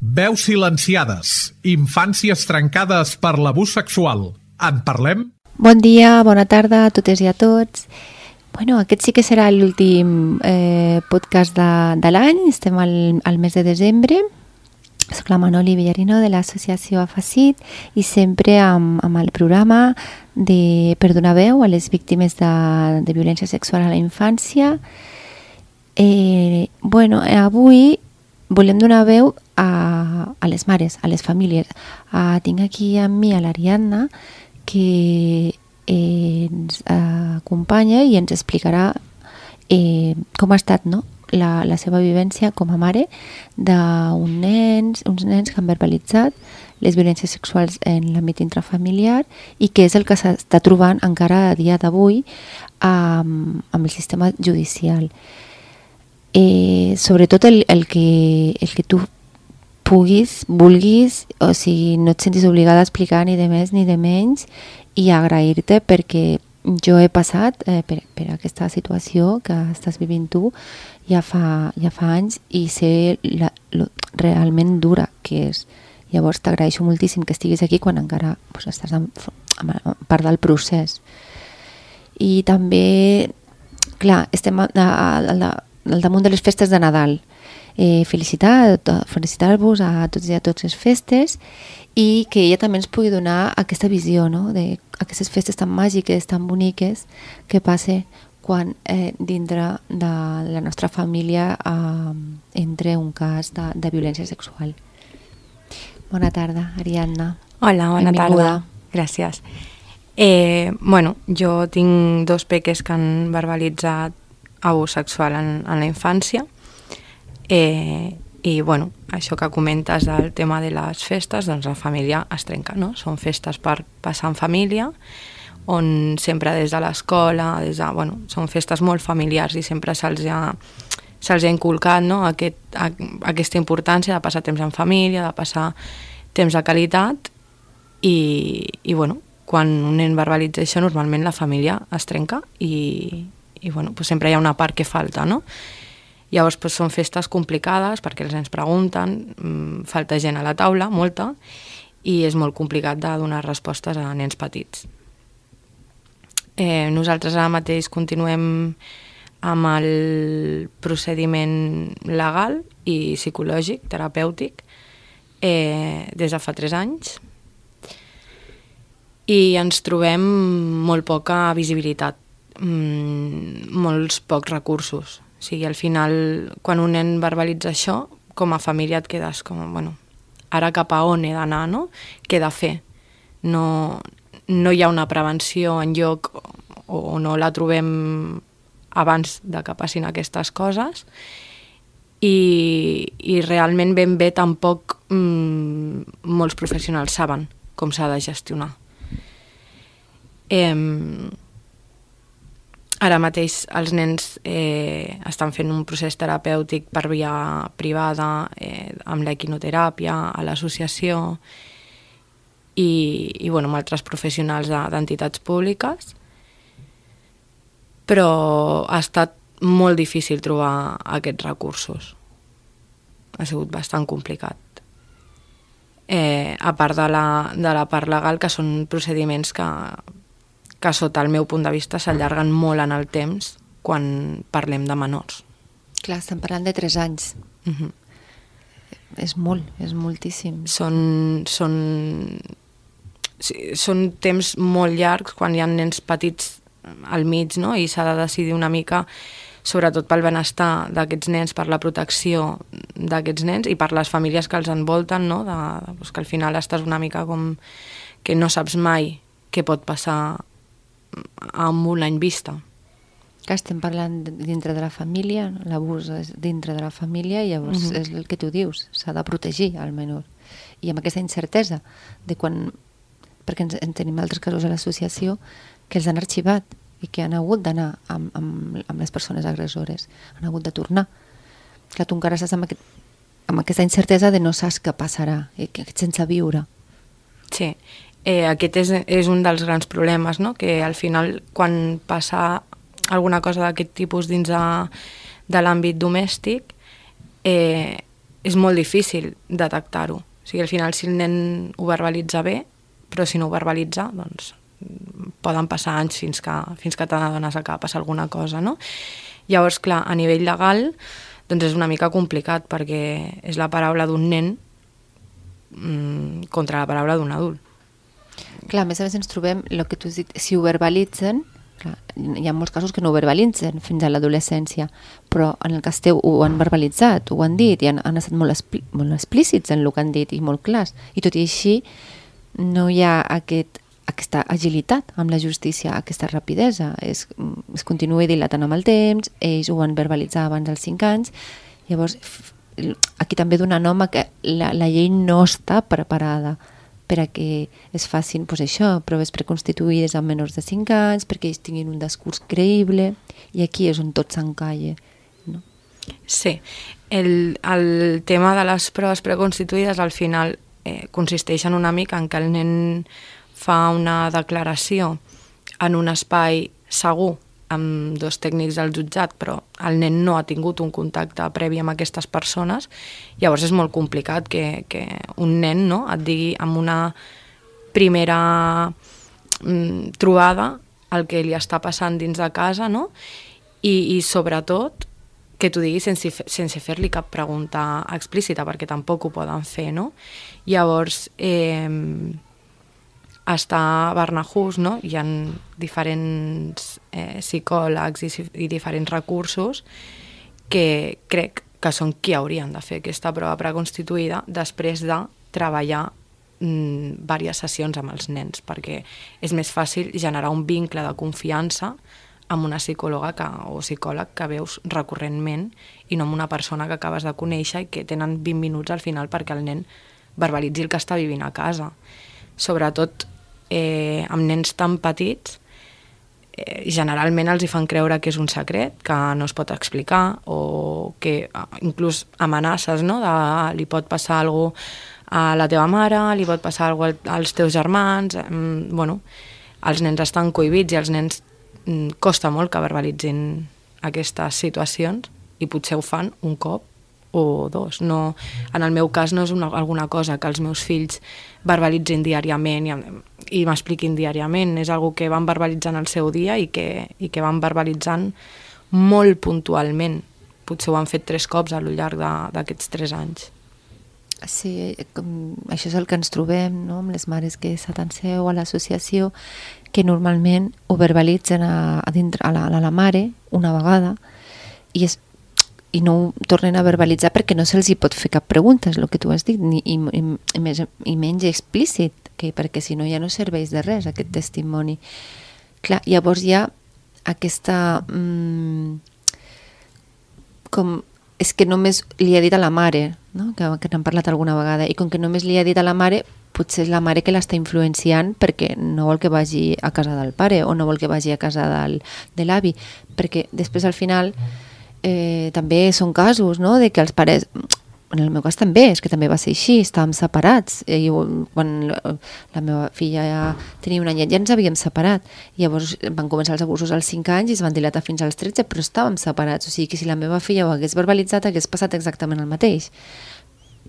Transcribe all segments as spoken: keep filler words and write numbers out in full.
Veus silenciades, infàncies trencades per l'abús sexual. En parlem? Bon dia, bona tarda a totes i a tots. Bueno, aquest sí que serà l'últim eh, podcast de, de l'any. Estem al, al mes de desembre. Soc la Manoli Villarino de l'associació Afacit i sempre amb, amb el programa de, per donar veu a les víctimes de, de violència sexual a la infància. Eh, bueno, avui volem donar veu a, a les mares, a les famílies. Uh, tinc aquí amb mi a l'Ariadna, que eh, ens uh, acompanya i ens explicarà eh, com ha estat, no?, la, la seva vivència com a mare d'uns nens, uns nens que han verbalitzat les violències sexuals en l'àmbit intrafamiliar i que és el que s'està trobant encara a dia d'avui um, amb el sistema judicial. Eh, sobretot el, el, que, el que tu puguis, vulguis, o sigui, no et sentis obligada a explicar ni de més ni de menys, i agrair-te perquè jo he passat eh, per, per aquesta situació que estàs vivint tu ja fa, ja fa anys i sé la, lo, realment dura que és. Llavors t'agraeixo moltíssim que estiguis aquí quan encara pues, estàs en, en, en part del procés. I també, clar, estem a, a, a, a al damunt de les festes de Nadal. Eh, felicitar, felicitar-vos a tots i a totes les festes i que ella també ens pugui donar aquesta visió, no?, d'aquestes festes tan màgiques, tan boniques que passe quan eh, dintre de la nostra família eh, entre un cas de, de violència sexual. Bona tarda, Ariadna. Hola, bona Benvinguda. Tarda. Gràcies. Eh, bueno, jo tinc dos peques que han verbalitzat abús sexual en, en la infància eh, i bueno, això que comentes del tema de les festes, doncs la família es trenca, no? Són festes per passar en família on sempre des de l'escola, des de, bueno, són festes molt familiars i sempre se'ls ha, se'ls ha inculcat, no?, Aquest, a, aquesta importància de passar temps en família, de passar temps de qualitat i, i bueno, quan un nen verbalitza això normalment la família es trenca i i bueno, pues sempre hi ha una part que falta, no? Llavors pues, són festes complicades perquè els nens pregunten, mmm, falta gent a la taula, molta, i és molt complicat de donar respostes a nens petits. Eh, nosaltres ara mateix continuem amb el procediment legal i psicològic, terapèutic, eh, des de fa tres anys, i ens trobem molt poca visibilitat, Mm, molts pocs recursos. O sigui, al final, quan un nen verbalitza això, com a família et quedes com, bueno, ara cap a on he d'anar, no? Què he de fer? No, no hi ha una prevenció en lloc o, o no la trobem abans de que passin aquestes coses i, i realment ben bé tampoc mm, molts professionals saben com s'ha de gestionar. Eh, Ara mateix els nens eh, estan fent un procés terapèutic per via privada, eh, amb l'equinoteràpia, a l'associació i, i bueno, amb altres professionals d'entitats públiques, però ha estat molt difícil trobar aquests recursos. Ha sigut bastant complicat. Eh, a part de la, de la part legal, que són procediments que que sota el meu punt de vista s'allarguen molt en el temps quan parlem de menors. Clar, estem parlant de tres anys. Uh-huh. És molt, és moltíssim. Són, són, sí, són temps molt llargs quan hi ha nens petits al mig, no? I s'ha de decidir una mica, sobretot pel benestar d'aquests nens, per la protecció d'aquests nens i per les famílies que els envolten, no? De, doncs que al final estàs una mica com que no saps mai què pot passar amb un any vista. Que estem parlant dintre de la família, l'abús és dintre de la família i llavors uh-huh. és el que tu dius, s'ha de protegir al menor. I amb aquesta incertesa de quan, perquè ens, en tenim altres casos a l'associació que els han arxivat i que han hagut d'anar amb, amb, amb les persones agressores, han hagut de tornar. Clar, tu encara estàs amb, aquest, amb aquesta incertesa de no saps què passarà, i que sense viure. Sí. Eh, aquest és, és un dels grans problemes, no? Que al final quan passa alguna cosa d'aquest tipus dins de, de l'àmbit domèstic eh, és molt difícil detectar-ho. O sigui, al final, si el nen ho verbalitza bé, però si no ho verbalitza, doncs poden passar anys fins que, fins que t'adones que ha passat alguna cosa, no? Llavors, clar, a nivell legal, doncs és una mica complicat, perquè és la paraula d'un nen mmm, contra la paraula d'un adult. Clar, a més a més ens trobem, el que tu has dit, si ho verbalitzen, clar, hi ha molts casos que no ho verbalitzen fins a l'adolescència, però en el cas teu ho han verbalitzat, ho han dit, i han, han estat molt, explí molt explícits en el que han dit, i molt clars, i tot i així no hi ha aquest aquesta agilitat amb la justícia, aquesta rapidesa. Es, es continua dilatant amb el temps, ells ho van verbalitzar abans dels cinc anys, llavors aquí també dona nom a que la, la llei no està preparada per a que es facin pues això, proves preconstituïdes amb menors de cinc anys, perquè ells tinguin un discurs creïble, i aquí és on tot s'encalla. No? Sí, el, el tema de les proves preconstituïdes al final eh, consisteix en una mica en que el nen fa una declaració en un espai segur amb dos tècnics del jutjat, però el nen no ha tingut un contacte previ amb aquestes persones, llavors és molt complicat que, que un nen, no, et digui amb una primera mm, trobada el que li està passant dins de casa, no? I, i sobretot que t'ho digui sense, sense fer-li cap pregunta explícita, perquè tampoc ho poden fer, no? Llavors, eh, està a Barnahus, no? Hi ha diferents eh, psicòlegs i, i diferents recursos que crec que són qui haurien de fer aquesta prova preconstituïda després de treballar mm, diverses sessions amb els nens, perquè és més fàcil generar un vincle de confiança amb una psicòloga que, o psicòleg que veus recurrentment i no amb una persona que acabes de conèixer i que tenen vint minuts al final perquè el nen verbalitzi el que està vivint a casa. Sobretot eh, amb nens tan petits, eh, generalment els hi fan creure que és un secret, que no es pot explicar, o que inclús amenaces, no? De, li pot passar alguna cosa a la teva mare, li pot passar alguna cosa als teus germans, eh, bueno, els nens estan cohibits i els nens mm, costa molt que verbalitzin aquestes situacions i potser ho fan un cop o dos. No, en el meu cas no és una, alguna cosa que els meus fills verbalitzin diàriament i, i m'expliquin diàriament, és algo que van verbalitzant el seu dia i que, i que van verbalitzant molt puntualment. Potser ho han fet tres cops a lo llarg d'aquests tres anys. Sí, com, això és el que ens trobem, no? Amb les mares que s'atanseu a l'associació, que normalment ho verbalitzen a, a, dintre, a, la, a la mare una vegada i, és, i no ho tornen a verbalitzar perquè no se'ls hi pot fer cap pregunta, és el que tu has dit, ni, i, i, i, més, i menys explícit, que, perquè si no ja no serveix de res aquest testimoni. Clar, llavors hi ha aquesta... Mm, com... és que només li ha dit a la mare, no? que, que n'han parlat alguna vegada, i com que només li ha dit a la mare, potser és la mare que l'està influenciant perquè no vol que vagi a casa del pare o no vol que vagi a casa del, de l'avi, perquè després al final eh, també són casos, no? De que els pares... En el meu cas també, és que també va ser així, estàvem separats. I quan la meva filla ja tenia un anyet ja ens havíem separat. I llavors van començar els abusos als cinc anys i es van dilatar fins als tretze, però estàvem separats. O sigui que si la meva filla ho hagués verbalitzat hagués passat exactament el mateix.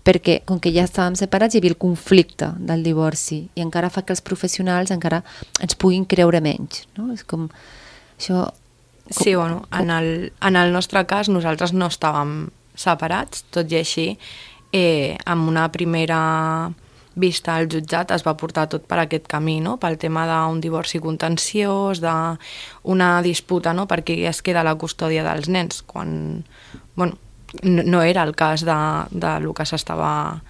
Perquè com que ja estàvem separats hi havia el conflicte del divorci i encara fa que els professionals encara ens puguin creure menys. No? És com... Això... Com, sí, bueno, en el, en el nostre cas nosaltres no estàvem separats, tot i així eh, amb una primera vista al jutjat es va portar tot per aquest camí, no? Pel tema d'un divorci contenciós, d'una disputa, no? Per qui es queda la custòdia dels nens, quan bueno, no, no era el cas de, de lo que s'estava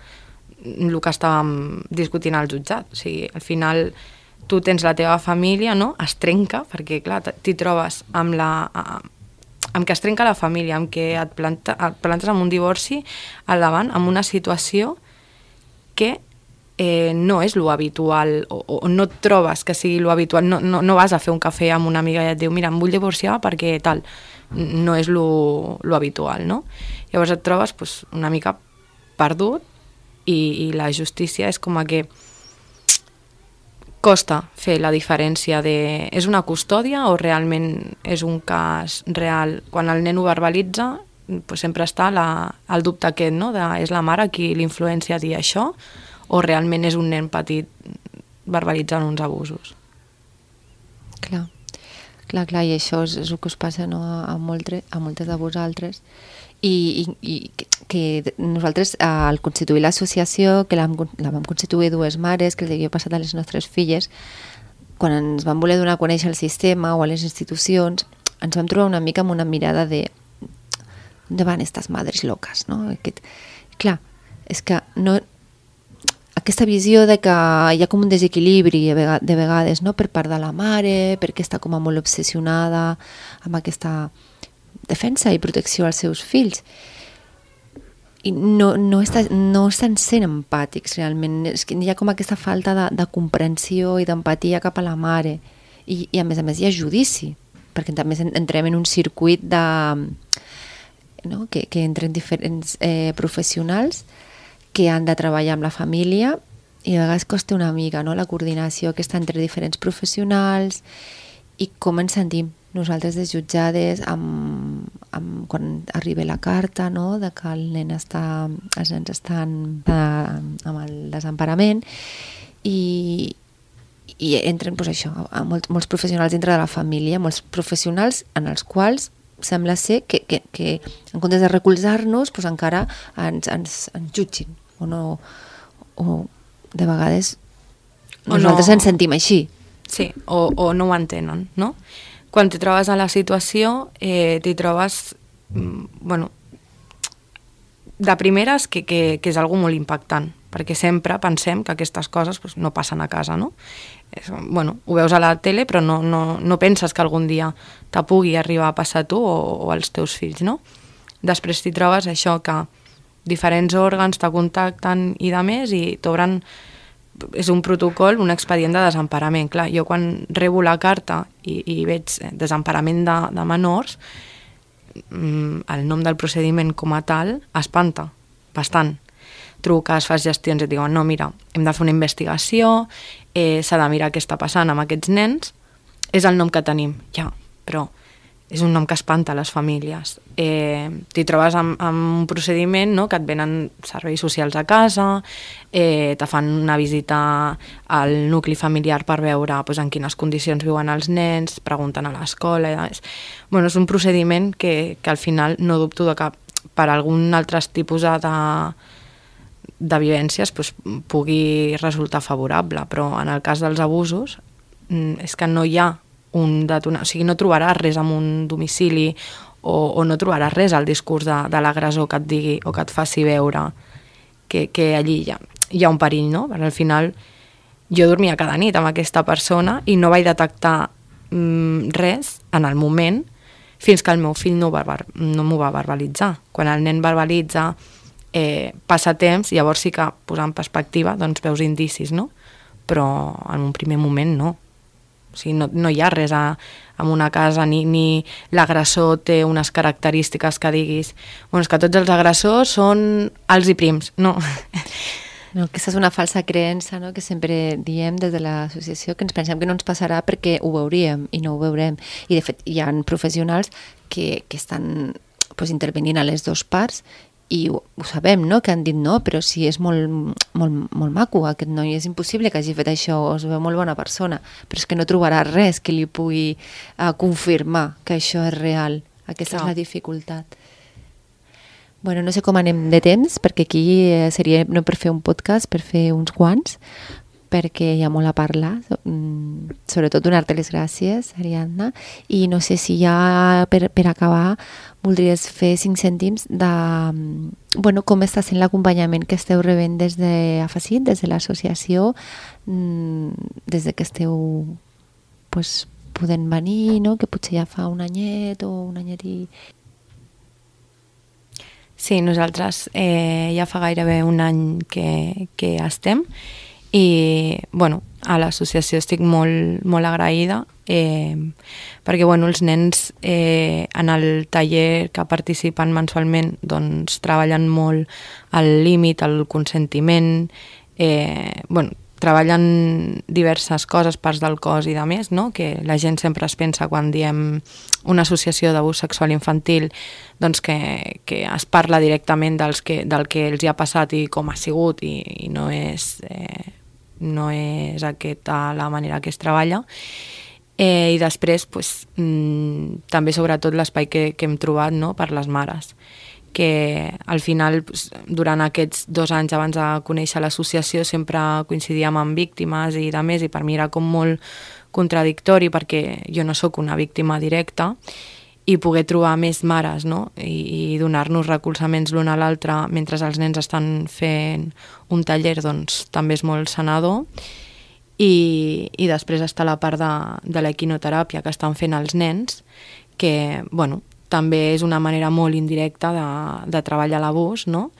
el que estàvem discutint al jutjat. O sigui, al final tu tens la teva família, no? Es trenca, perquè clar, t'hi trobes amb la... amb què es trenca la família, amb què et, planta, et plantes amb un divorci al davant, amb una situació que eh, no és lo habitual, o, o no et trobes que sigui lo habitual, no, no, no vas a fer un cafè amb una amiga i et diu, mira, em vull divorciar perquè tal, no és lo, lo habitual, no? Llavors et trobes pues, una mica perdut i, i la justícia és com a que costa fer la diferència de és una custòdia o realment és un cas real. Quan el nen ho verbalitza pues sempre està la, el dubte aquest, no? De, és la mare qui l'influencia a dir això o realment és un nen petit verbalitzant uns abusos. Clar, clar, clar, i això és, és el que us passa, no? a, moltre, a moltes de vosaltres. I, i, i que nosaltres al constituir l'associació, que la, la vam constituir dues mares, que els havia passat a les nostres filles, quan ens vam voler donar a conèixer el sistema o a les institucions, ens vam trobar una mica amb una mirada de on van estas madres loques, no? Aquest, clar, és que no, aquesta visió de que hi ha com un desequilibri de vegades, no? Per part de la mare, perquè està com a molt obsessionada amb aquesta defensa i protecció als seus fills. I no, no, està, no estan sent empàtics realment, és que hi ha com aquesta falta de, de comprensió i d'empatia cap a la mare. I, i a més a més hi ha judici, perquè també entrem en un circuit de... no? que, que entren diferents eh, professionals que han de treballar amb la família i a vegades costa una mica, no? La coordinació que està entre diferents professionals i com ens sentim nosaltres desjutjades amb, amb, quan arriba la carta, no? De que el nen està, els nens estan eh, amb el desemparament i, i entren pues, això, a molts, molts professionals dintre de la família, molts professionals en els quals sembla ser que, que, que en comptes de recolzar-nos pues, encara ens, ens, ens jutgin o no, o de vegades o nosaltres no, ens sentim així. Sí, o, o no ho entenen, no? Quan t'hi trobes a la situació, eh, t'hi trobes, bueno, de primeres que, que, que és algo molt impactant, perquè sempre pensem que aquestes coses pues, no passen a casa, no? És, bueno, ho veus a la tele, però no, no, no penses que algun dia te pugui arribar a passar a tu o, o als teus fills, no? Després t'hi trobes això que diferents òrgans te contacten i de més i t'obren, és un protocol, un expedient de desemparament. Clar, jo quan rebo la carta i, i veig desemparament de, de menors, el nom del procediment com a tal espanta bastant. Truques, fas gestions i et diuen no, mira, hem de fer una investigació, eh, s'ha de mirar què està passant amb aquests nens, és el nom que tenim, ja, però és un nom que espanta a les famílies. Eh, t'hi trobes amb, amb un procediment, no?, que et venen serveis socials a casa, eh, te fan una visita al nucli familiar per veure pues, en quines condicions viuen els nens, pregunten a l'escola... És, bueno, és un procediment que, que al final no dubto de que per algun altre tipus de, de vivències pues, pugui resultar favorable, però en el cas dels abusos és que no hi ha un detonar, o sigui, no trobaràs res en un domicili o, o no trobaràs res al discurs de, de l'agressor que et digui o que et faci veure que, que allí hi ha, hi ha un perill, no? Perquè al final jo dormia cada nit amb aquesta persona i no vaig detectar mm, res en el moment fins que el meu fill no, barbar, no m'ho va verbalitzar. Quan el nen verbalitza, eh, passa temps, llavors sí que posant en perspectiva doncs veus indicis, no? Però en un primer moment no. O sigui, no, no hi ha res a, en una casa, ni, ni l'agressor té unes característiques que diguis bueno, és que tots els agressors són alts i prims. No. No, aquesta és una falsa creença, no?, que sempre diem des de l'associació, que ens pensem que no ens passarà perquè ho veuríem i no ho veurem. I de fet hi ha professionals que, que estan pues, intervenint a les dues parts i ho, ho sabem, no?, que han dit no, però si és molt, molt, molt maco aquest noi, és impossible que hagi fet això, es veu molt bona persona, però és que no trobarà res que li pugui uh, confirmar que això és real. Aquesta Clar. És la dificultat. Bueno, no sé com anem de temps, perquè aquí eh, seria no per fer un podcast, per fer uns quants, perquè hi ha molt a parlar, sobretot donar-te les gràcies, Ariadna, i no sé si ja per, per acabar voldries fer cinc cèntims de bueno, com està sent l'acompanyament que esteu rebent des de AFACIT, des de l'associació, des de que esteu pues, podent venir, no? Que potser ja fa un anyet o un anyet i... Sí, nosaltres eh, ja fa gairebé un any que, que estem i bueno, a l'associació estic molt, molt agraïda eh, perquè bueno, els nens eh, en el taller que participen mensualment doncs, treballen molt al límit, al consentiment, eh, bueno, treballen diverses coses, parts del cos i de més, no? Que la gent sempre es pensa quan diem una associació d'abús sexual infantil, doncs que, que es parla directament dels que, del que els hi ha passat i com ha sigut, i, i no és, eh, no és aquesta la manera que es treballa. Eh, I després, pues, mmm, també sobretot l'espai que, que hem trobat, no? Per les mares, que al final, durant aquests dos anys abans de conèixer l'associació, sempre coincidíem amb víctimes i de més, i per mi era com molt contradictori perquè jo no sóc una víctima directa, i poder trobar més mares, no? I, i donar-nos recolzaments l'un a l'altre mentre els nens estan fent un taller, doncs també és molt sanador. I, i després està la part de, de l'equinoteràpia que estan fent els nens, que, bueno, també és una manera molt indirecta de, de treballar l'abús, no?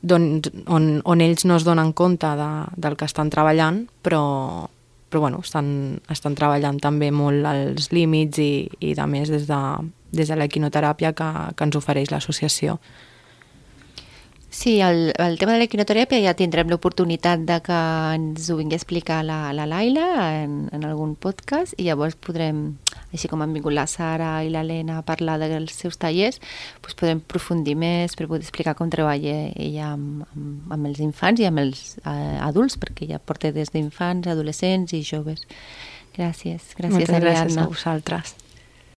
Don, on, on ells no es donen compte de, del que estan treballant, però, però bueno, estan, estan treballant també molt els límits i, i de més des de, des de l'equinoteràpia que, que ens ofereix l'associació. Sí, el, el tema de l'equinoteràpia ja tindrem l'oportunitat de que ens ho vingui a explicar la, la Laila en, en algun podcast, i llavors podrem, així com han vingut la Sara i l'Helena a parlar dels seus tallers, doncs podrem aprofundir més per poder explicar com treballa ella amb, amb, amb els infants i amb els eh, adults, perquè ja porta des d'infants, adolescents i joves. Gràcies, gràcies, Moltes Ariadna. gràcies a vosaltres.